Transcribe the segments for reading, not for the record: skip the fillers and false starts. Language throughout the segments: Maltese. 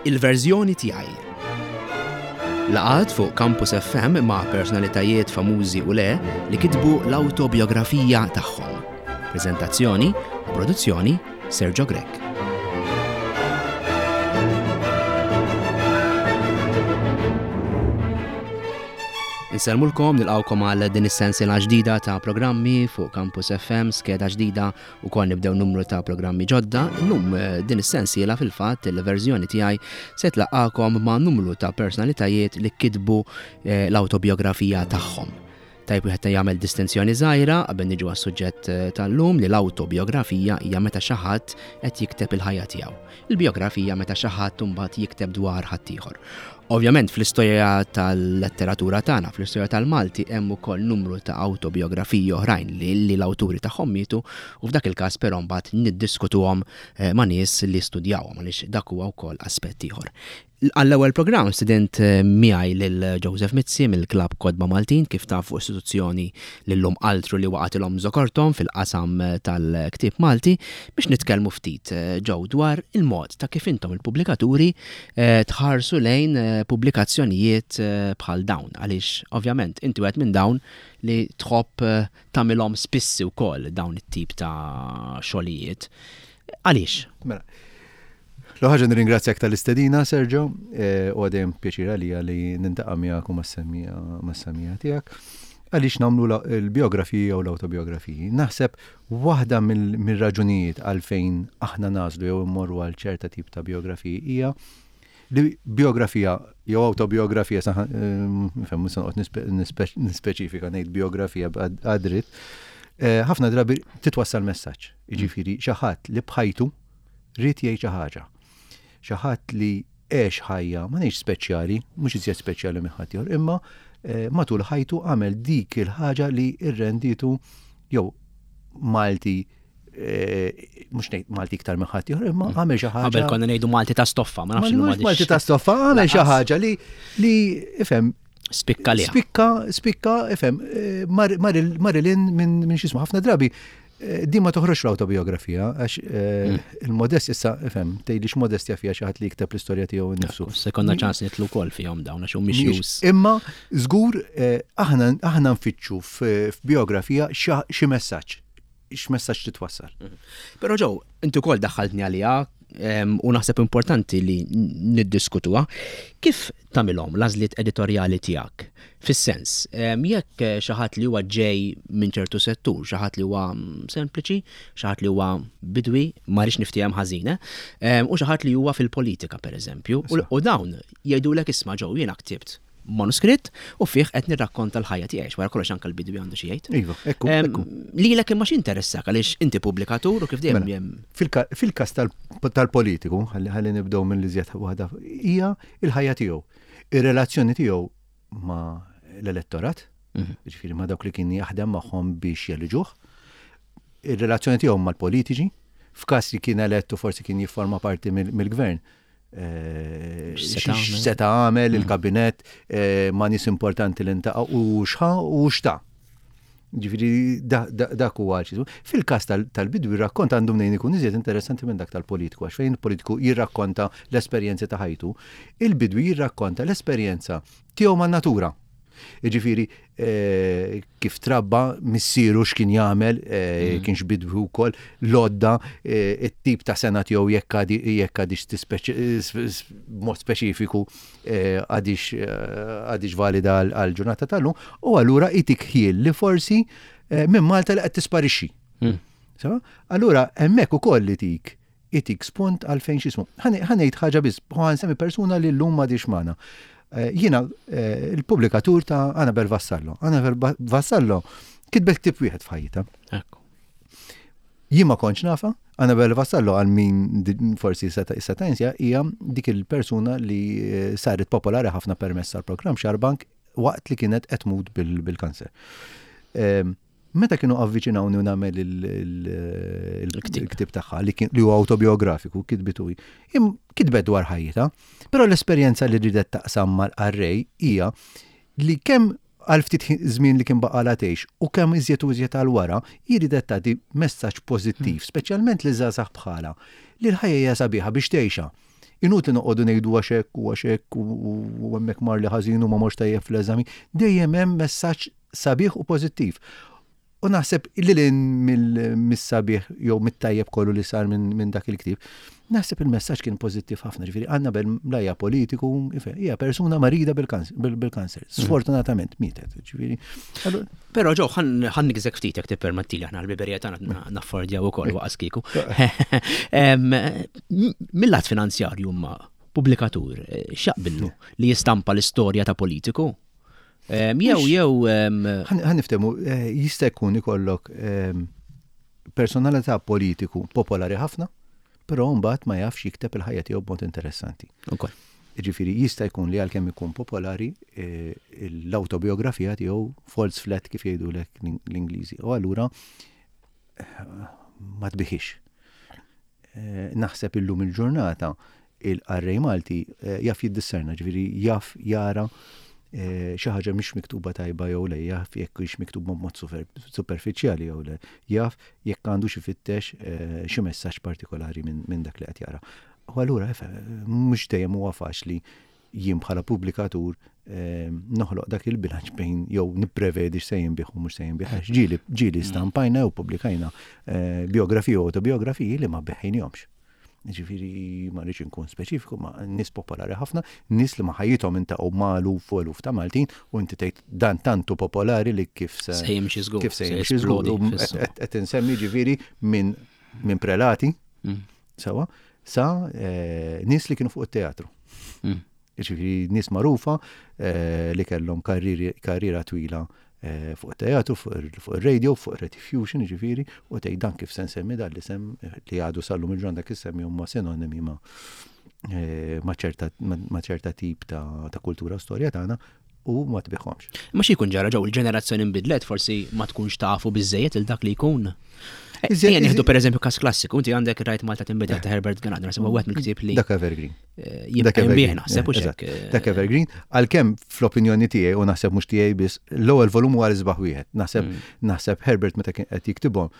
Il-verżjoni tiegħi. Laqgħat fuq Campus FM ma' personalitajiet famużi u le li kitbu l-awtobiografija tagħhom. Preżentazzjoni u produzzjoni Sergio Grech. Insellmulkom, nilqawkom għal din is-sensiela ġdida ta' programmi fuq Campus FM, skeda ġdida Ukoll nibdew numru ta' programmi ġodda. Illum eh, din is-sensiela fil-fatt il-verżjoni tiegħi se tlaqqakom ma' numru ta' personalitajiet li kitbu eh, l-awtobiografija tagħhom. Tajb wieħed jagħmel distinzjoni żgħira qabel niġu għas-suġġett eh, tal-lum li l-awtobiografija hija meta xi ħadd qed jikteb il-ħajja tiegħu. Il-bijografija meta xi ħadd imbagħad jikteb dwar ħaddieħor. Ovvjament fl-istorja tal-letteratura tagħna, fl-istorja tal-Malti hemm ukoll numru ta' awtobiografiji oħrajn li, li l-awturi tagħhom mietu u f'dak il-każ però mbagħad niddiskutuhom eh, ma' nies li studjawhom għaliex dak huwa wkoll aspett ieħor. Għall-ewwel programm student eh, miegħi lil Joseph Mizzi mill-Klabb Kotba Maltin kif tafu istituzzjoni li llum altru li waqgħatilhom żokorthom fil-qasam eh, tal-ktieb Malti biex nitkellmu ftit Joe dwar il-mod ta' kif intom il-pubblikaturi tħarsu lejn pubblikazzjonijiet bħal dawn għaliex ovvjament inti wieħed minn dawn li tħobb tagħmilhom spissi wkoll dawn it-tip ta' xogħlijiet. Għaliex? Mela, l-ħaġa nirringrazzjak tal-istedina, Sergio, u għadem pjaċir għalija li nintaqa' miegħek u mas-semmiegħa tiegħek. Għaliex nagħmlu l-biografiji jew l-awtobiografiji? Naħseb Waħda mir-raġunijiet għalfejn aħna nagħżlu jew immorru għal ċerta tip ta' bijografiji hija li bijografija jew awtobiografija, nifhem mhux se noqgħod nispeċifika ngħid bijografija għad-dritt, ħafna drabi titwassal messaġġ. Jiġifieri xi ħadd li b'ħajtu ried jgħid xi ħaġa. Xi ħadd li għex ħajja, ma ngħidx speċjali, mhux iżjed speċjali minn ħaddieħor, imma matul ħajtu għamel dik il-ħaġa li rrenditu jew Malti mhux ngħid Malti iktar minn ħaddieħor, imma mm. għamel xi ħaġa. Qabel konna ngħidu Malti ta' stoffa, ma nafx ma Malti ta' stoffa, għamel xi ħaġa li li ifhem Spikka li. Spikka, spikka, ifhem, eh, Marilyn minn xismu ħafna drabi eh, din ma toħroġ l-autobiografija, għax eh, mm. il-modest issa, ifhem, tgħidli x'modestja fiha xi ħadd li jikteb l-istorja tiegħu nnifsu. Se konna ċans nitlu wkoll fihom dawn għax mhix Imma żgur aħna aħna nfittxu f'biografija xi messaġġ x'messaġġ titwassal. Mhm. Però ġew, inti wkoll daħħaltni għaliha u naħseb importanti li niddiskutuha. Kif tagħmilhom l-għażliet editorjali tiegħek? Fis-sens, jekk xi ħadd li huwa ġej minn ċertu settur, xi ħadd li huwa mm, sempliċi, xi ħadd li huwa bidwi, ma rridx niftiehem ħażin, eh, u xi ħadd li huwa fil-politika pereżempju, u dawn jgħidulek isma' ġew jiena ktibt manuskritt u fih qed nirrakkonta l-ħajja tiegħi, wara kollox anke l-bidwi għandu xi jgħid. Iva, ekku. ekku. Lilek imma x'interessak għaliex inti pubblikatur u kif dejjem mela, Fil-każ tal-politiku, ħalli nibdew minn li żjed waħda, hija il-ħajja tiegħu. Ir-relazzjoni tiegħu ma' l-elettorat, mhm. ġifieri ma' dawk li kien jaħdem magħhom biex jeliġuh, ir-relazzjoni tiegħu mal-politiċi, f'każ li kien elett u forsi kien jifforma parti mill-gvern, Eh, x'seta għamel mm. il-kabinett eh, ma' nies importanti li ntaqa' u x'ħa u x'ta. Ġifieri dak huwa Fil-każ tal-bidwi rakkont għandu mnejn ikun iżjed interessanti minn dak tal-politiku għax fejn il-politiku jirrakkonta l-esperjenzi ta' ħajtu, il-bidwi jirrakkonta l-esperjenza tiegħu man-natura. Jiġifieri eh, kif trabba missieru x'kien jagħmel, eh, mm. kienx bidwi wkoll, l-odda, eh, it-tip ta' sena tiegħu jekk għadix mod speċifiku għadix għadix valida għal ġurnata tal-lum, u allura itik ħiel li forsi minn Malta li qed tisparixxi. Mm. Allura hemmhekk ukoll li tik itik spunt għalfejn x'ismu. Ħa ngħid ħaġa biss, ħa nsemmi persuna li llum m'għadhiex magħna. Eh, jiena eh, il-pubblikatur ta' Anabel Vassallo. Anabel Vassallo kitbet ktib wieħed f'ħajjitha. Jien ma kontx nafa, Anabel Vassallo għal min forsi seta' jinsja hija dik il-persuna li eh, saret popolari ħafna permezz tal-programm Xarbank waqt li kienet qed tmut bil-kanser. Ehm, Meta kienu avviċinawni u nagħmel il-ktieb tagħha li li huwa awtobiografiku, kitbitu hi. Kitbet dwar ħajjitha, però l-esperjenza li ridet taqsam mal-qarrej hija li kemm għal ftit żmien li kien baqgħalha tgħix u kemm iżjed u iżjed għal wara, hi ridet tagħti messaġġ pożittiv, hmm. speċjalment li żgħażagħ bħalha, li l-ħajja hija sabiħa biex tgħixha. Inutli noqogħdu ngħidu għax hekk u għax hekk u hemmhekk mar li ħażin u ma morx tajjeb fl-eżami. Dejjem hemm messaġġ sabiħ u pożittiv. U naħseb li lil mis-sabiħ jew mit-tajjeb kollu li sar minn dak il-ktieb, naħseb il-messaġġ kien pożittiv ħafna, ġifieri Annabel la hija politiku, hija persuna marida bil-kanser. Sfortunatament mietet, ġifieri. Però ġo, ħan nigżek ftit jekk tippermettili aħna l-biberija tagħna naffordjaw ukoll waqas kieku. Mill-lat finanzjarju ma pubblikatur eh, x'jaqbillu li jistampa l-istorja ta' politiku? Jew jew. Ħa niftehmu, eh, jista' jkun ikollok personalità politiku popolari ħafna, però mbagħad ma jafx jikteb il-ħajja tiegħu b'mod interessanti. Ġifieri jista' jkun li għalkemm ikun popolari eh, l-awtobiografija tiegħu falls flat kif jgħidulek l-Ingliżi. U allura eh, ma tbiħix. Eh, naħseb illum il-ġurnata il-qarrej Malti eh, jaf jiddisserna, ġifieri jaf jara eh, xi ħaġa mhix miktuba tajba jew le, jaf jekk hix miktuba b'mod superfiċjali jew le, jaf jekk għandu xi fittex xi messaġġ partikolari minn dak li qed jara. U allura mhux dejjem huwa faċli jien bħala pubblikatur noħloq dak il-bilanċ bejn jew nipprevedi x'se jinbigħ u mhux se jinbigħ. Għax ġieli ġieli mm. stampajna jew pubblikajna eh, biografiji u autobiografiji li ma beħħinihomx. Ġifieri ma rridx inkun speċifiku, ma nies popolari ħafna, nies li ma ħajjithom intaqgħu ma' eluf u eluf ta' Maltin u inti tgħid dan tantu popolari li kif se se jimxi żgur. Kif se jimxi żgur. Qed insemmi ġifieri minn min prelati, mm. Sewa, sa eh, nies li kienu fuq it-teatru. Mm. Ġifieri nies magħrufa eh, li kellhom karriera twila eh, fuq it-teatru, fuq ir-radio, fuq ir-rediffusion, ġifieri, u tgħid dan kif se nsemmi dan l-isem li għadu sallum il-ġurnata dak issemmi huma sinonimi ma' ma' ċerta tip ta' kultura u storja tagħna u ma tbiħhomx. Ma xi jkun ġara ġew il-ġenerazzjoni nbidlet forsi ma tkunx tafu biżejjed il dak li jkun. Ejja nieħdu pereżempju każ klassiku, inti għandek rajt Malta tinbidel ta' Herbert Ganad, naħseb huwa wieħed mill-ktieb li. Dak Evergreen. Eh, jibqa' jinbih naħseb u xek. Eh. Dak Evergreen, għalkemm fl-opinjoni tiegħi u naħseb mhux tiegħi biss, l-ewwel volum huwa l-isbaħ wieħed. Naħseb mm. naħseb Herbert meta kien qed jiktibhom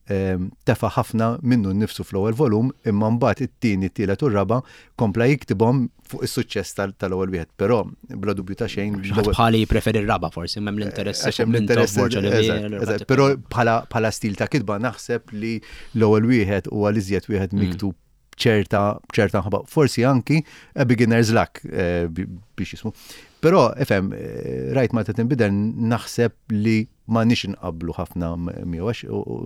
tefa' ħafna minnu nnifsu fl-ewwel volum imma mbagħad it-tieni, it-tielet u r-raba' kompla jiktibhom fuq is-suċċess tal-ewwel wieħed. Però bla dubju ta' xejn. Ħadd bħali jippreferi r-raba' forsi m'hemm l-interess. Għax hemm l-interess. Però bħala stil ta' kitba naħseb li l-ewwel wieħed huwa l-iżjed wieħed mm. miktub ċerta ċerta mħabba, forsi anki a beginner's luck eh, biex jismu. Però, ifhem, eh, rajt ma tinbidel naħseb li ma nix nqablu ħafna miegħu għax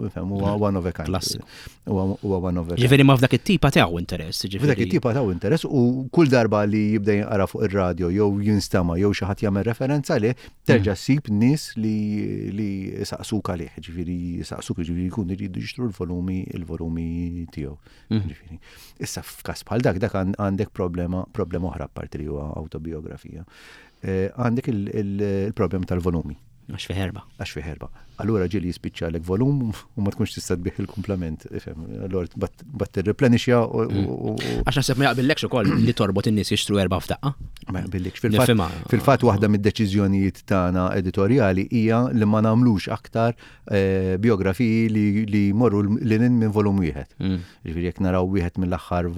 ifhem huwa one of a kind. Klassiku. Huwa one of a kind. Ġifieri ma f'dak it-tipa tiegħu interess, ġifieri. F'dak it-tipa tiegħu interess u kull darba li jibda jinqara fuq ir-radio jew jinstema' jew xi ħadd jagħmel referenza lih, terġa' mm. ssib nies li li saqsuk għalih, ġifieri saqsuk ġifieri jkunu jridu jixtru l-volumi il-volumi tiegħu. Mm. Ġifieri. Issa f'każ bħal dak dak għandek problema problema oħra apparti li huwa autobiografija. Eh, għandek il-problema tal-volumi. Għax fi herba. Għax fi herba. Allura ġieli jispiċċalek volum u ma tkunx tista' tbih il-kumplament. Ifhem, allura bat tirreplenixja u. Mm. Għax naħseb ma jaqbillekx ukoll li torbot in-nies jixtru erba' f'daqqa. Ma jaqbillekx. Fil-fatt waħda mid-deċiżjonijiet tagħna editorjali hija li ma nagħmlux aktar eh, biografiji li jmorru lil minn volum wieħed. Mm. Ġifieri jekk naraw wieħed mill-aħħar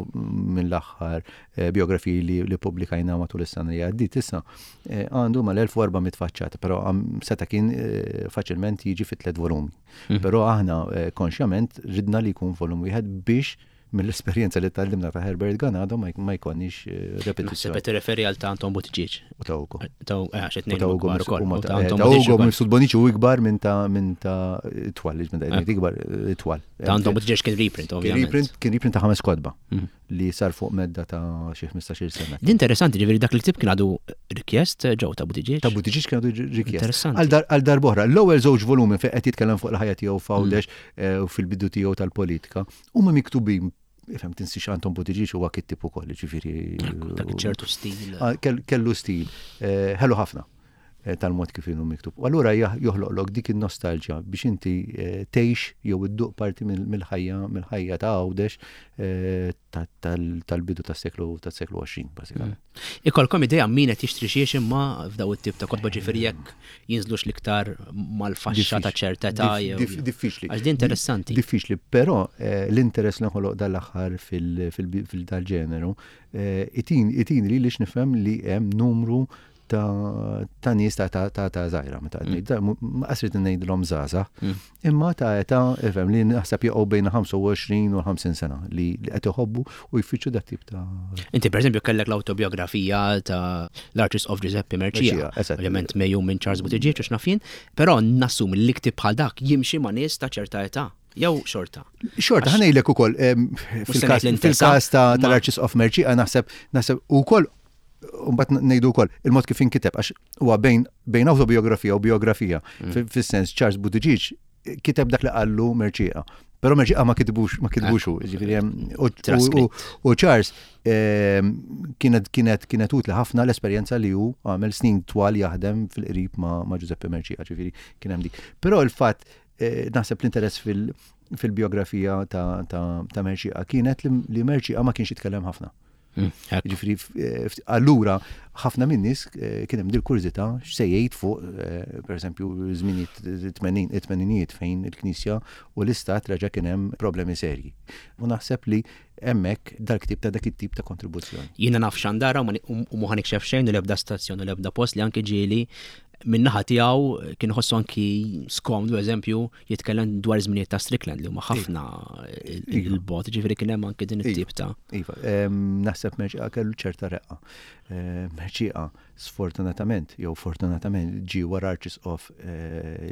mill-aħħar eh, biografiji li pubblikajna matul is-sena li għaddiet issa, eh, għandu mal-1400 faċċata, però seta' kien faċilment jiġi fi tliet volumi. Mm. Però aħna konxjament ridna li jkun volum wieħed biex mill-esperjenza li tgħallimna ta' Herbert Ganado ma jkollniex eh, repetizzjoni. Naħseb tirreferi għal ta' Anton Buttigieg. U ta' Ugo. Ta' eh, għax it-tnejn Ta' Ugo ukoll. Ta' Ugo mifsud Bonici u ikbar minn ta' minn ta' twal, minn ta' eh. ikbar twal. Ta' Anton Buttigieg kien reprint, ovvjament. Reprint, kien reprint ta' ħames kotba mhm. li sar fuq medda ta' xi 15-il sena. Din interessanti, ġifieri dak il-ktib kien għadu rikjest ġew ta' Buttigieg. Ta' Buttigieg kien għadu rikjest. Interessanti. Għal darbohra, l-ewwel żewġ volumi fejn qed jitkellem fuq il-ħajja tiegħu f'Għawdex mm. u fil-bidu tiegħu tal-politika Huma miktubin ifhem tinsiex Anton Buttigieg huwa kittib ukoll, ġifieri. Dak ċertu stil. Ah, kellu stil, eh, ħelu ħafna. tal-mod kif inhu miktub. U allura joħloqlok dik in-nostalġja biex inti tgħix jew idduq parti mill-ħajja mill-ħajja ta' Għawdex tal-bidu tas-seklu tas-seklu 20 bażikament. Ikolkom idea min qed jixtri xiex imma f'daw it-tip ta' kotba ġifieri jekk jinżlux l-iktar mal-faxxa ta' ċerta età jew. Diffiċli. Għax din interessanti. Diffiċli, però l-interess li nħoloq dal-aħħar fil-dal-ġeneru itin li lix nifhem li hemm numru ta' nies ta' ta' ta' ta' żgħira, meta qed ngħid ma qas rid ngħidilhom żgħażagħ, imma ta' età ifhem li naħseb jaqgħu bejn 25 u 50 sena li qed iħobbu u jfittxu dat tip ta' Inti pereżempju kellek l-awtobiografija ta' l-Arċisqof Giuseppe Mercieca, ovvjament mejjun minn Charles Buttigieg u x'naf jien, però nassumi li ktieb bħal dak jimxi ma' nies ta' ċerta età. Jew xorta. Xorta, ħa ngħidlek ukoll fil-każ tal-Arċisqof Mercieca naħseb naħseb ukoll Mbagħad ngħidu wkoll il-mod kif inkiteb għax huwa bejn bejn awtobiografija u biografija. Fis-sens Charles Buttigieg kiteb dak li qallu Mercieca. Però Mercieca ma kitbux ma kitbux hu, ġifieri hemm u Charles kienet kienet kienet utli ħafna l-esperjenza li hu għamel snin twal jaħdem fil-qrib ma' Giuseppe Mercieca, ġifieri kien hemm dik. Però il-fatt naħseb l-interess fil-biografija ta' Mercieca kienet li Mercieca ma kienx jitkellem ħafna. Ġifieri, allura ħafna minn nies kien hemm dil-kurżità x'se jgħid fuq, pereżempju, żminijiet it-tmeninijiet fejn il-Knisja u l-Istat reġa' kien hemm problemi serji. U naħseb li hemmhekk dal-ktieb ta' dak it-tip ta' kontribuzzjoni. Jiena naf xandara u mhu ħa nikxef xejn u l-ebda stazzjon u l-ebda post li anki ġieli min-naħa tiegħu kien iħossu anki skomdu, eżempju, jitkellem dwar żminijiet ta' Strickland li huma ħafna il-bot, ġifieri kien hemm anki din it-tip ta' Iva, naħseb Merċieqa kellu ċerta reqqa. Merċieqa sfortunatament jew fortunatament ġie wara arċisqof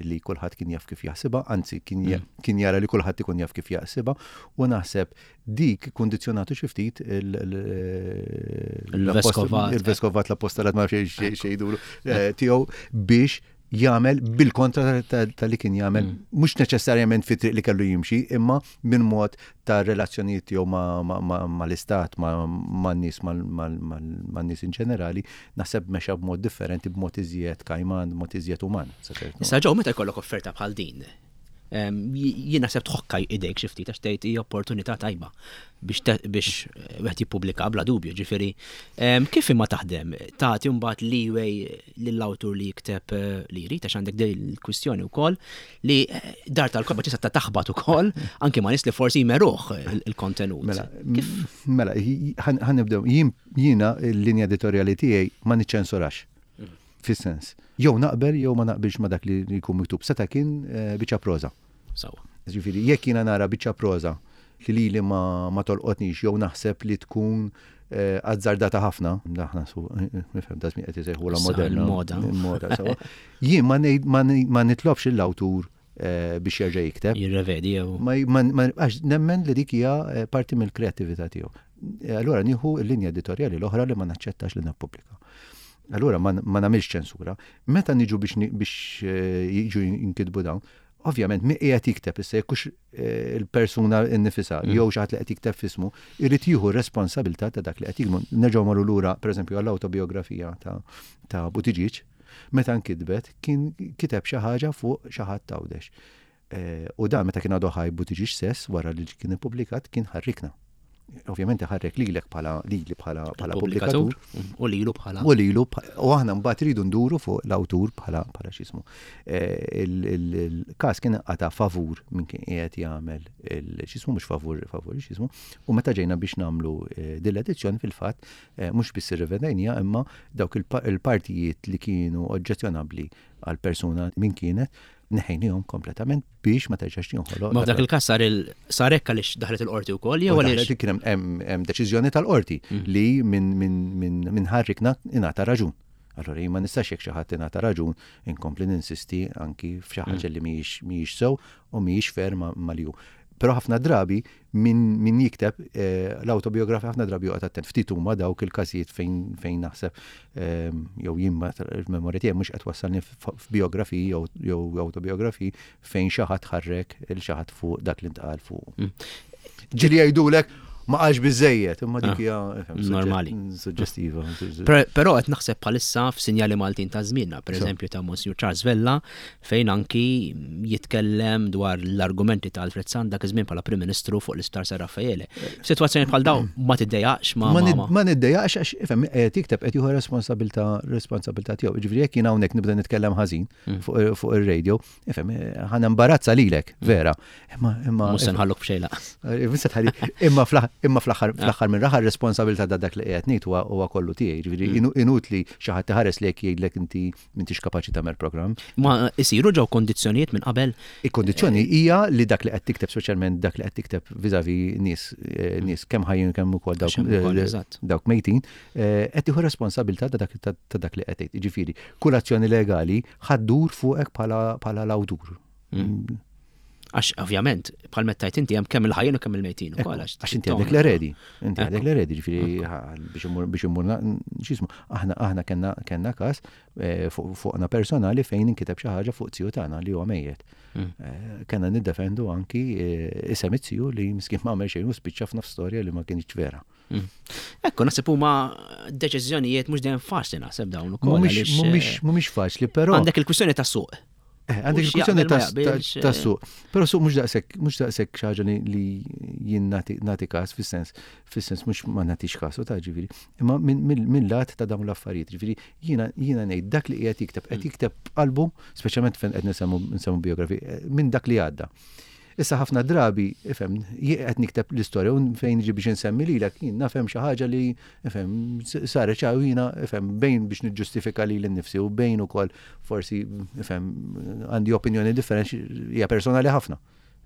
li kulħadd kien jaf kif jaħsibha, anzi kien jara li kulħadd ikun jaf kif jaħsibha u naħseb dik kundizzjonatu xi ftit il-veskovat l-apostolat ma nafx xejdulu tiegħu biex jagħmel bil-kontra ta' li kien jagħmel mhux neċessarjament fit-triq li kellu jimxi, imma minn mod ta' relazzjonijiet tiegħu mal-istat, man-nies, man-nies in ġenerali, naħseb mexa b'mod differenti, b'mod iżjed kajman, b'mod iżjed uman. Issa ġew meta jkollok offerta bħal din, jien naħseb tħokka idejk xi ftit għax tgħid hija opportunità tajba biex biex eh, wieħed jippubblika bla dubju, ġifieri kif imma taħdem? Tagħti mbagħad leeway lill-awtur li jikteb eh, li jrid għax għandek din il-kwistjoni wkoll li eh, dar tal-kotba tista' taħbat ukoll anke ma' nies li forsi jmeruh il-kontenut. Mela, mela, ħanibdew jiena l-linja editorjali tiegħi ma niċċensurax. Fis-sens, jew naqbel jew ma naqbilx ma' dak li jkun miktub. Seta' kien biċċa proża. Sewwa. Ġifieri, jekk jiena nara biċċa proża li lili ma, ma tolqotnix jew naħseb li tkun azzardata ħafna, aħna su, nifhem da żmien qed isejħulha moderna. Il-moda. Il-moda, sewwa. Jien ma ngħid ma nitlobx lill-awtur biex jerġa' jikteb. Jirrevedi jew. Ma għax nemmen li dik hija eh, parti mill-kreattività tiegħu. Eh, allura nieħu l-linja editorjali l-oħra li ma naċċettax li nippubblika. Allura ma nagħmilx ċensura. Meta niġu biex biex eh, jiġu jinkitbu dawn, ovvjament mi qiegħed jikteb issa jekk il-persuna nnifisha jew xi ħadd li qed jikteb f'ismu, irid jieħu r-responsabilità ta' dak li qed jiktbu. Nerġgħu marru lura pereżempju għall-awtobiografija ta' ta' Buttigieg, Meta nkitbet, kien kiteb xi ħaġa fuq xi ħadd t'Għawdex. U dan meta kien għadu ħaj Buttigieg stess, wara li kien ippubblikat, kien ħarrikna. Ovvjament iħarrek lilek bħala lili bħala bħala pubblikatur. U lilu bħala. U lilu u aħna mbagħad iridu nduru fuq l-awtur bħala bħala x'ismu. Il-każ kien qata' favur min kien qiegħed jagħmel x'ismu mhux favur favur x'ismu. U meta ġejna biex nagħmlu din l-edizzjoni fil-fatt Mhux biss irrivedejniha imma dawk il-partijiet li kienu oġġezzjonabbli għall-persuna min kienet, neħejniehom kompletament biex ma terġax tinħoloq. Ma f'dak il-każ sar il sar hekk għaliex daħlet il-qorti wkoll jew għaliex? Kien hemm deċiżjoni tal-qorti mm. li minn ħarrikna ingħata raġun. Allora jien ma nistax jekk xi ħadd ingħata raġun inkompli ninsisti anki f'xi ħaġa mm. li mhijiex sew u mhijiex fair ma' li hu. Però ħafna drabi min, min jikteb eh, l-autobiografija ħafna drabi joqgħod attent. Ftit huma dawk il-każijiet fejn fejn naħseb eh, jew jien il-memorja tiegħi mhux qed wassalni f'biografiji jew jew autobiografiji fejn xi ħadd ħarrek il xi ħadd fuq dak li ntqal fuq. Mm. Ġieli jgħidulek. Ma qalx biżejjed, imma dik ah, hija normali. Suġġestiva. Però qed naħseb bħalissa f'sinjali Maltin ta' żmienna, pereżempju ta' Monsignor Charles Vella, fejn anki jitkellem dwar l-argumenti ta' Alfred Sant dak iż-żmien bħala Prim Ministru fuq l-Isptar San Raffaele. F'sitwazzjoni bħal dawn ma tiddejjaqx ma ma niddejjaqx għax ifhem qed jikteb qed jieħu responsabilità responsabilità tiegħu. Jiġifieri jekk jien hawnhekk nibda nitkellem ħażin mm. fuq ir-radio, ifhem ħa nembarazza lilek, vera. Imma imma Mhux se nħalluk b'xejn laqas. Eh, mhux se tħalli. Imma fl-aħħar ah. fl-aħħar minn raħar responsabilità ta' dak li qiegħed ngħid huwa kollu tiegħi. Ġifieri mm. inutli xi ħadd iħares lejk jgħidlek inti m'intix kapaċi tagħmel programm. Ma isiru ġew kondizzjonijiet minn qabel? Il-kondizzjoni eh. hija li dak li qed tikteb speċjalment dak li qed tikteb viżavi nies eh, mm. nies kemm ħajjin kemm ukoll dawk dawk mejtin, qed tieħu responsabilità ta' dak li qed tgħid. Jiġifieri, kull azzjoni legali ħa ddur fuqek bħala l-awtur. Mm. Għax ovvjament, bħal meta tajt inti hemm kemm il-ħajjin u kemm il-mejtin ukoll. Għax inti għandek l-eredi, inti għandek l-eredi, ġifieri biex immur x'ismu, aħna aħna kellna kellna każ eh, fuqna personali fejn inkiteb xi ħaġa fuq ziju tagħna li huwa mejjet. Mm. Eh, kellna niddefendu anki eh, isem it-ziju li miskin ma għamel xejn u spiċċa f'nofs storja li ma kienx vera. Mm. Ekku, naħseb huma deċiżjonijiet mhux dejjem faċli naħseb dawn ukoll. Mhumiex eh, faċli, però. Għandek il-kwistjoni ta' suq. Eh, għandek il-kwistjoni ta' eh. suq. Però suq mhux daqshekk mhux daqshekk xi ħaġa li jien nagħti każ fis-sens fis-sens mhux ma nagħtix każ u ta' ġifieri, imma minn lat ta' dawn l-affarijiet, ġifieri jiena jiena ngħid dak li qiegħed jikteb qed mm. jikteb qalbu, speċjalment fejn qed nsemmu biografi, minn dak li għadda. Issa ħafna drabi, ifhem, jien qed nikteb l-istorja u fejn niġi biex insemmi lilek, jien naf hemm xi ħaġa li, ifhem, saret xi u jiena, ifhem, bejn biex niġġustifika lili nnifsi u bejn ukoll forsi, ifhem, għandi opinjoni differenti hija personali ħafna.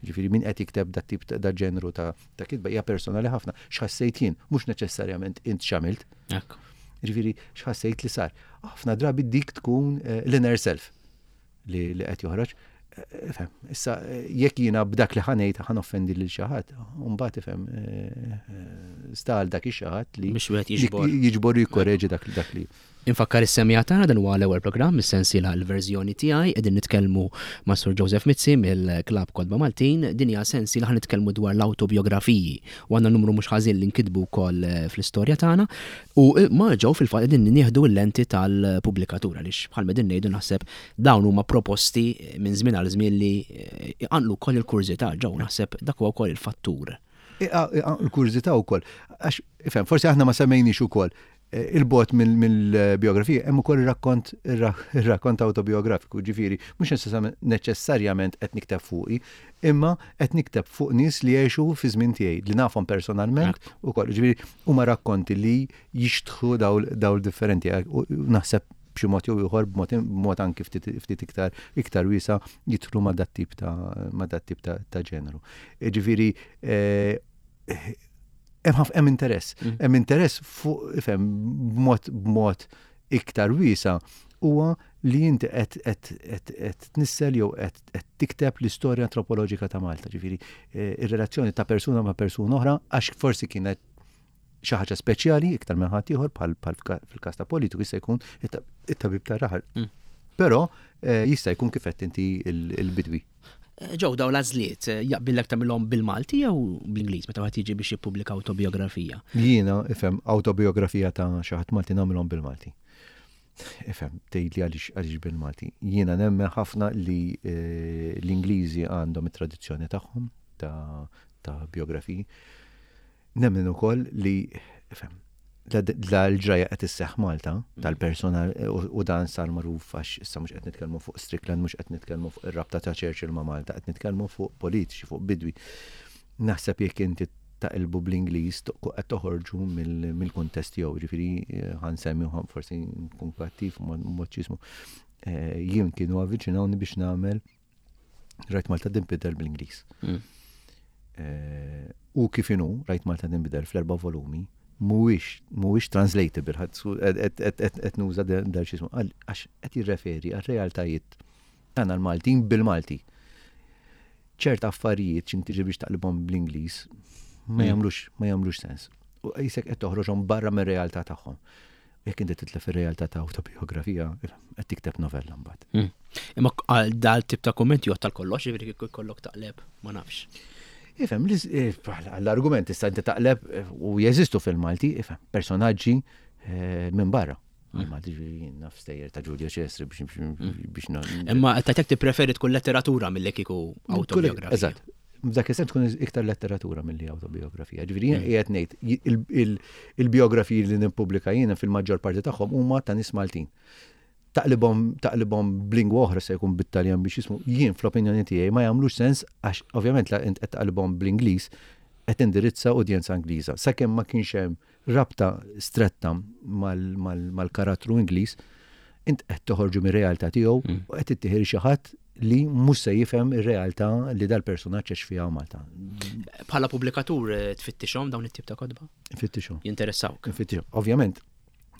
Ġifieri min qed jikteb dat tip da ġenru ta' ta' kitba hija personali ħafna. X'ħassejt jien, mhux neċessarjament int x'għamilt. Ġifieri x'ħassejt li sar. Ħafna drabi dik tkun eh, l-inner self. li qed joħroġ. Ifhem, issa jekk jiena b'dak li ħanejt ħan offendi lil xi ħadd, mbagħad ifhem sta għal dak ix-xi ħadd li biex wieħed jiġbor. Jiġbor u jikkoreġi dak dak li. Infakkar is-semmiegħa tagħna dan huwa l-ewwel programm mis-sensiela l-verżjoni tiegħi qegħdin nitkellmu ma' Sur Joseph Mizzi mill-Klabb Kotba Maltin. Din hija sensiela ħa nitkellmu dwar l-awtobjografiji u għandna numru mhux ħażin li nkitbu wkoll fl-istorja tagħna. U ma ġew fil-fatt qegħdin nieħdu l-lenti tal-pubblikatur għaliex bħal m'qegħdin ngħidu naħseb dawn huma proposti minn żmien għal żmien li iqanqlu wkoll il-kurżità ġew naħseb dak huwa wkoll il-fattur. Iqanqlu l-kurżità wkoll. Għax ifhem, forsi aħna ma semmejniex ukoll il-bogħod mill-biografija hemm ukoll ir-rakkont ir-rakkont awtobiografiku, ġifieri mhux neċessarjament qed nikteb fuqi, imma qed nikteb fuq nies li għexu fi żmien tiegħi, li nafhom personalment ukoll. Ġifieri huma rakkonti li jixtħu dawl differenti. Naħseb b'xi mod jew ieħor b'mod anki ftit iktar iktar wiesa' jidħlu ma' dat-tip ta' ma' dat-tip ta' ġeneru. Ġifieri eh, hemm hemm interess. Mm. Hemm interess fuq ifhem b'mod b'mod iktar wiesa' huwa li inti qed tnissel jew qed tikteb l-istorja antropoloġika ta' Malta, ġifieri eh, ir-relazzjoni ta' persuna ma' persuna oħra għax forsi kienet xi ħaġa speċjali iktar minn ħadd ieħor bħal fil-każ ta' politiku jista' jkun it-tabib tar-raħal. Mm. Però eh, jista' jkun kif qed inti il-bidwi. Ġew dawn l-għażliet, jaqbillek tagħmilhom bil-Malti jew bl-Ingliż meta wieħed jiġi biex jippubblika awtobiografija? Jiena, ifhem, awtobiografija ta' xi ħadd Malti nagħmilhom bil-Malti. Ifhem, tgħidli għaliex għaliex bil-Malti. Jiena nemmen ħafna li eh, l-Ingliżi għandhom it-tradizzjoni tagħhom ta' ta' biografiji. Nemmen ukoll li, ifhem, la l-ġrajja qed isseħħ Malta tal-persuna u dan sar magħruf għax issa mhux qed nitkellmu fuq Strickland, mhux qed nitkellmu fuq ir-rabta ta' Churchill ma' Malta, qed nitkellmu fuq politiċi, fuq bidwi. Naħseb jekk inti taqilbu bl-Ingliż qed toħorġu mill-kuntest tiegħu, ġifieri eh, ħansemmi forsi nkun kattiv mod x'ismu. Eh, jien kienu avviċinawni biex nagħmel Rajt Malta tinbidel bl-Ingliż. Mm. Eh, u kif inhu Rajt Malta tinbidel fl-erba' volumi, mhuwiex mhuwiex translatable, qed nuża dal xismu għax qed jirreferi għal realtajiet tagħna l-Maltin bil-Malti. ċert affarijiet x'in tiġi biex taqlibhom bl-Ingliż ma mm. jagħmlux ma jagħmlux sens. U qisek qed toħroġhom barra mir-realtà tagħhom. Jekk inti titlef ir-realtà ta' awtobiografija, qed tikteb novella mbagħad. Hmm. Imma għal dal tip ta' kumment jgħod tal-kollox, jiġifieri kieku jkollok taqleb, ma nafx. Ifhem, l-argument issa inti taqleb u jeżistu fil-Malti, ifhem, personaġġi minn barra. Malti ġifieri naf stejjer ta' Giulio Cesare biex Imma tajtek tippreferi tkun letteratura milli kieku autobiografija. Eżatt. F'dak is-sens tkun iktar letteratura milli autobiografija. Ġifieri jien qiegħed ngħid il-biografiji li nippubblika jiena fil-maġġor parti tagħhom huma ta' nies Maltin. Taqlibhom taqlibhom b'lingwa oħra se jkun bit-Taljan biex jismu jien fl-opinjoni tiegħi ma jagħmlux sens għax ovvjament la int qed taqlibhom bl-Ingliż qed tindirizza udjenza Ingliża. Sakemm ma kienx hemm rabta stretta mal-karattru Ingliż, int qed toħorġu mir-realtà tiegħu mm. u qed ittieħi xi ħadd li mhux se jifhem ir-realtà li dal-personaġġ għex fiha Malta. Bħala pubblikatur eh, tfittixhom dawn it-tip ta' kotba? Nfittixhom. Jinteressawk. Nfittixhom. Ovvjament,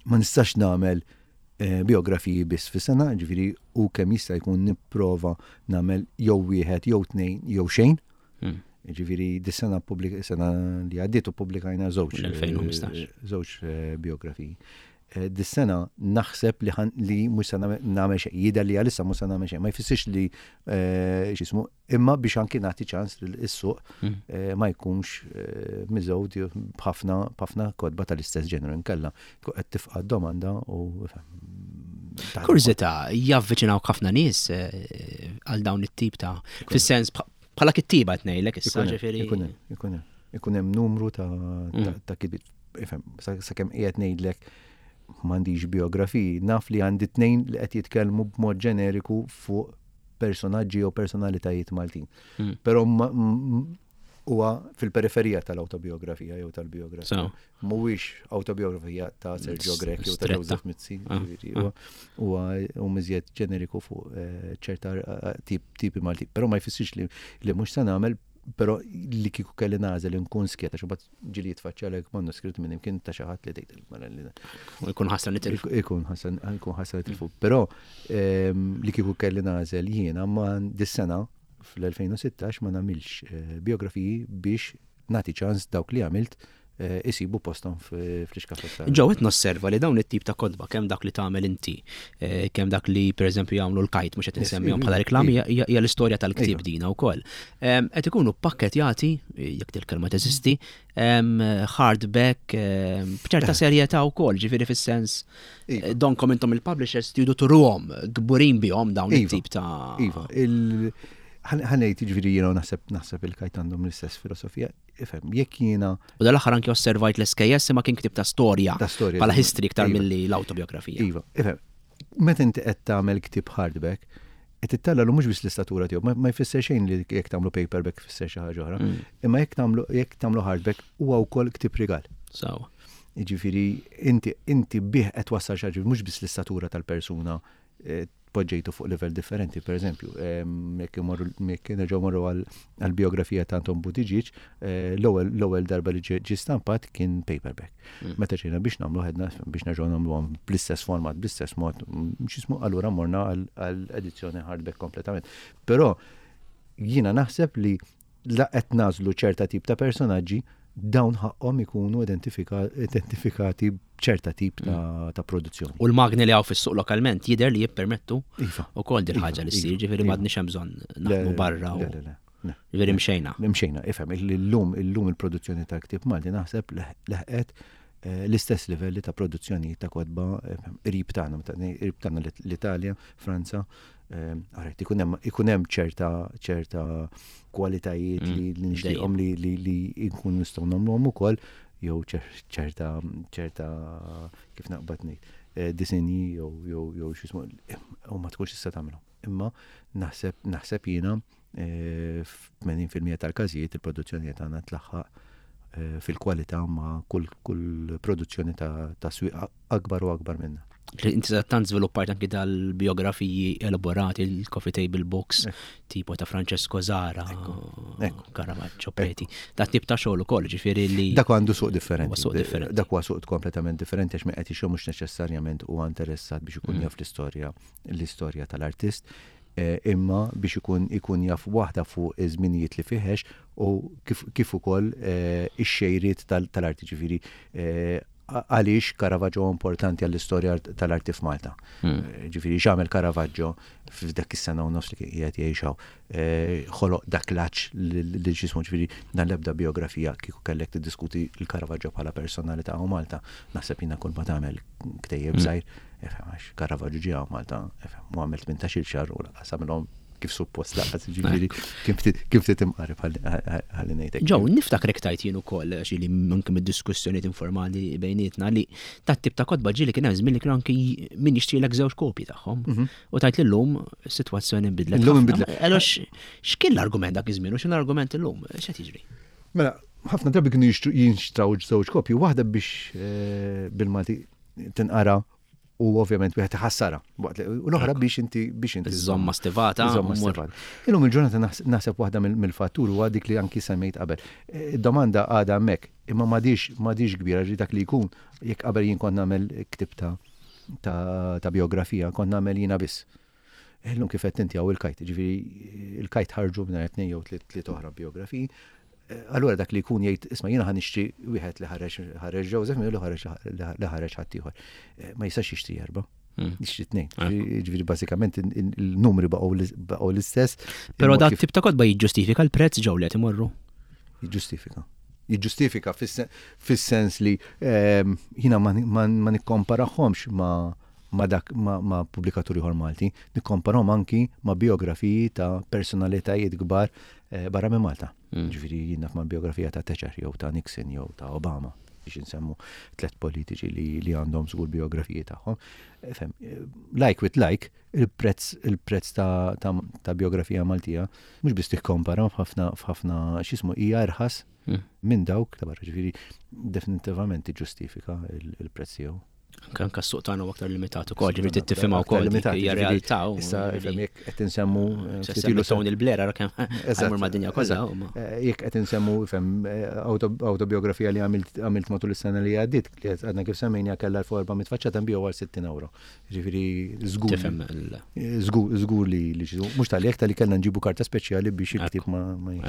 ma nistax nagħmel eh, biografiji biss fis-sena, ġifieri u kemm jista' jkun nipprova nagħmel jew wieħed jew tnejn jew xejn. Hmm. Ġifieri dis-sena sena li għaddiet u pubblikajna żewġ. L-2015. Eh, żewġ eh, biografiji. Eh, dis-sena naħseb li li mhux se nagħmel xejn, jidher li għalissa mhux se nagħmel xejn, ma jfissirx li x'ismu, imma biex anki nagħti ċans li s-suq hmm. ma jkunx miżewd b'ħafna b'ħafna kotba tal-istess ġeneru inkella tkun qed tifqa' domanda u Kurżità, javviċinaw ħafna nies għal dawn it-tip ta' fis-sens Bħala kittiba qed ngħidlek issa ġifieri. Ikun hemm, ikun hemm. Ikun hemm numru ta' mm. ta' kitbiet. Ifhem, sakemm qiegħed ngħidlek m'għandix biografiji, naf li għandi tnejn li qed jitkellmu b'mod ġeneriku fuq personaġġi jew personalitajiet Maltin. Mm. Però huwa fil-periferija tal-autobiografija jew tal-biografija. Mhuwiex awtobiografija ta' Sergio Grech jew ta' Joseph Mizzi, ah, ah. huwa u miżjed ġeneriku fuq eh, ċerta eh, tipi Malti. Però ma jfissirx li li mhux se nagħmel però li kieku kelli nagħżel inkun skjeta xi mbagħad ġieli jitfaċċalek manuskritt minn imkien ta' xi ħadd li tgħid mela li Ikun ħasra nitilfu. Ikun ħasra ikun ħasra nitilfu. Però ehm, li kieku kelli nagħżel jiena ma dis-sena fl-2016 ma nagħmilx eh, biografiji biex nagħti ċans dawk li għamilt eh, isibu posthom fl-iskafetta. Ġew qed nosserva li dawn it-tip ta' kotba kemm dak li tagħmel inti, eh, kemm dak li pereżempju jagħmlu l-kajt mhux qed insemmihom bħala reklami hija l-istorja tal-ktieb dina wkoll. Qed ikunu pakketjati, jekk il-kelma teżisti, hardback b'ċerta eh. serjetà wkoll, ġifieri fis-sens iva. donkom intom il-publishers tridu turuhom kburin bihom dawn iva. it-tip ta' Iva, ħanejt ġifieri jiena naħseb naħseb il-kajt għandhom l-istess filosofija, ifhem, jekk jiena. U dal-aħħar anki osservajt l-SKS imma kien ktib ta' storja. Ta' storja. Bħala history iktar iva. milli l-autobiografija. Iva, ifhem, meta inti qed tagħmel ktieb hardback, qed ittella mhux biss l-istatura tiegħu, ma jfisser xejn li jekk tagħmlu paperback jfisser xi ħaġa oħra. Mm. Imma jekk tagħmlu jekk tagħmlu hardback huwa wkoll ktieb rigal. Sawa. Jiġifieri inti inti bih qed wassal xi ħaġa mhux biss l-istatura tal-persuna eh, poġġejtu fuq livell differenti, per eżempju, jekk imorru jekk nerġgħu morru għall-biografija ta' Anton Buttigieg, eh, l-ewwel darba li ġie stampat kien paperback. Mm. Meta ġejna biex nagħmlu ħedna biex nerġgħu nagħmluhom bl-istess format, bl-istess mod, mm, x'ismu allura morna għall edizzjoni hardback kompletament. Però jiena naħseb li la qed nagħżlu ċerta tip ta' personaġġi, dawn ħaqqhom ikunu identifikati b'ċerta tip ta', mm. ta produzzjoni. U l-magni li hawn fis-suq lokalment jidher li jippermettu iva. ukoll din ħaġa li ssir, iva. ġifieri iva. m'għadniex hemm bżonn naħdmu barra. Le, le, le. Ġifieri mxejna. Mxejna, ifhem, illum illum il-produzzjoni tal-ktieb Malti naħseb leħqet eh, l-istess livelli ta' produzzjoni ta' kotba eh, qrib tagħna, qrib tagħna l-Italja, Franza, Alright, ikun hemm ċerta ċerta kwalitajiet mm, li nixtieqhom li li nkun nistgħu nagħmluhom ukoll jew ċerta ċerta kif naqbad ngħid eh, disinji jew jew jew x'ismu u ma tkunx tista' tagħmilhom. Imma naħseb naħseb jiena eh, f'80% tal-każijiet il-produzzjoni tagħna tlaħħaq eh, fil-kwalità ma' kull kull produzzjoni ta' ta' swieq akbar u akbar minna. Inti tant żviluppajt anki dal-biografiji elaborati, il-coffee table books, tipo ta' Francesco Zara, Caravaggio, Preti. Da tip ta' xogħol ukoll, ġifieri li. Dak għandu suq differenti. Suq differenti. Dak huwa suq kompletament differenti għax min qed jixtri mhux neċessarjament huwa interessat biex ikun mm. jaf l-istorja l-istorja tal-artist eh, imma biex ikun ikun jaf waħda fuq iż-żminijiet li fiħex u kif ukoll eh, ix-xejriet tal-arti ġifieri eh, għaliex Caravaggio importanti għall-istorja tal-arti f'Malta. Hmm. Ġifieri x'għamel Caravaggio f'dak is-sena u nofs li kien qiegħed jgħix hawn. Eh, ħoloq dak l-għatx li ġismu ġifieri dan l-ebda biografija kieku kellek tiddiskuti l-Caravaggio bħala personalità u Malta. Naħseb jiena kull ma tagħmel ktejjeb hmm. żgħir, għax Caravaggio ġie Malta, u għamel 18-il xahar u lanqas għamilhom kif suppost laqas ġifieri kif ftit imqareb ħalli ngħidlek. Ġew, niftakrek tajt jien ukoll għax li anke mid-diskussjonijiet informali bejnietna li tat tip ta' kotba ġieli kien hemm żmien li kienu anke min jixtrilek żewġ kopji tagħhom. Mhm. U tajt li llum is-sitwazzjoni nbidlet. Illum inbidlet. Allora x'kien l-argument dak iż-żmien u x'in l-argument illum? X'qed jiġri? Mela, ħafna drabi kienu jinxtraw żewġ kopji, waħda biex eh, bil-Malti tinqara u ovvjament wieħed iħassarha. U l-oħra biex inti biex inti. Żomma stivata. Żomma stivata. Illum il-ġurnata naħseb waħda mill-fattur huwa dik li anki semmejt qabel. Eh, id-domanda għadha hemmhekk, imma m'għadix m'għadix kbira ġi dak li jkun jekk qabel jien kont nagħmel ktib ta' ta' biografija kont nagħmel jiena biss. Illum kif qed inti hawn il-kajt, ġifieri il-kajt ħarġu minn tnejn jew tliet oħra biografiji. Eh, allura dak li jkun jgħid isma' jiena ħa nixtri wieħed li ħareġ ħareġ Joseph minn li ħareġ li ħareġ ħaddieħor. Eh, ma jistax jixtri erba'. Hmm. Jixtri tnejn. Ah. Ġifieri bażikament il-numri baqgħu l-istess. Però dak tip ta' kotba jiġġustifika l-prezz ġew li qed imorru. Jiġġustifika. Jiġġustifika fis-sens li ehm, jiena ma nikkomparahomx ma' ma' dak ma' pubblikatur ieħor Malti, nikkomparahom anki ma' biografiji ta' personalitajiet kbar eh, barra minn Malta. Mm. Ġifieri jien naf ma' biografija ta' Thatcher jew ta' Nixon jew ta' Obama biex insemmu tlet politiċi li, li għandhom żgur biografiji tagħhom. Eh, fem, eh, like with like, il-prezz il-prezz ta', ta, ta biografija Maltija mhux biss tikkompara f'ħafna f'ħafna x'ismu hija irħas mm. minn dawk ta' barra ġifieri definitivament tiġġustifika il-prezz tiegħu. Anke anke s-suq tagħna huwa aktar limitat ukoll, ġifieri tifhimha wkoll hija realtà. Issa ifhem jekk qed insemmu eh, ftit ilu Tony Blair ara kemm ħajmur mad-dinja kollha. Eh, jekk qed insemmu ifhem eh, autobiografija li għamilt matul is-sena li għaddiet, li għadna kif semmejna kellha l-400 faċċata nbiju għal 60 euro. Ġifieri żgur. Tifhem Żgur żgur li li mhux tal jekk tal-li kellna nġibu karta speċjali biex il-ktieb ma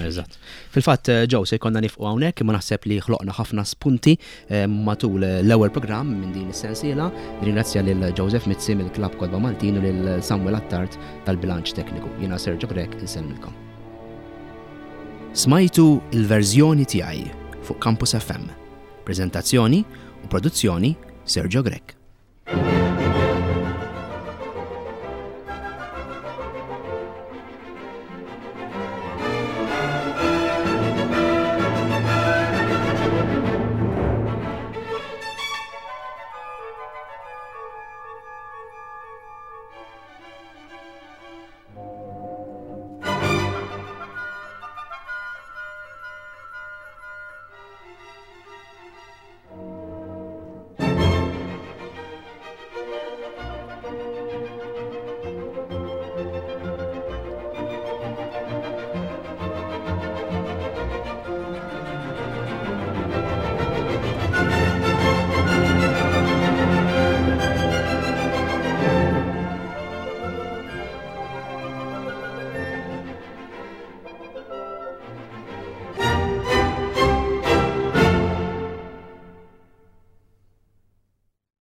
Eżatt. Fil-fatt eh, ġew se jkollna nifqu hawnhekk imma naħseb li ħloqna ħafna spunti eh, matul eh, l-ewwel programm minn din is-sensiela. Ringrazzja lil Joseph Mizzi mill-Klabb Kodba Maltin u lil Samuel Attard tal-Bilanċ Tekniku. Jiena Sergio Grech insellmilkom. Smajtu il-verżjoni tiegħi fuq Campus FM. Preżentazzjoni u produzzjoni Sergio Grech.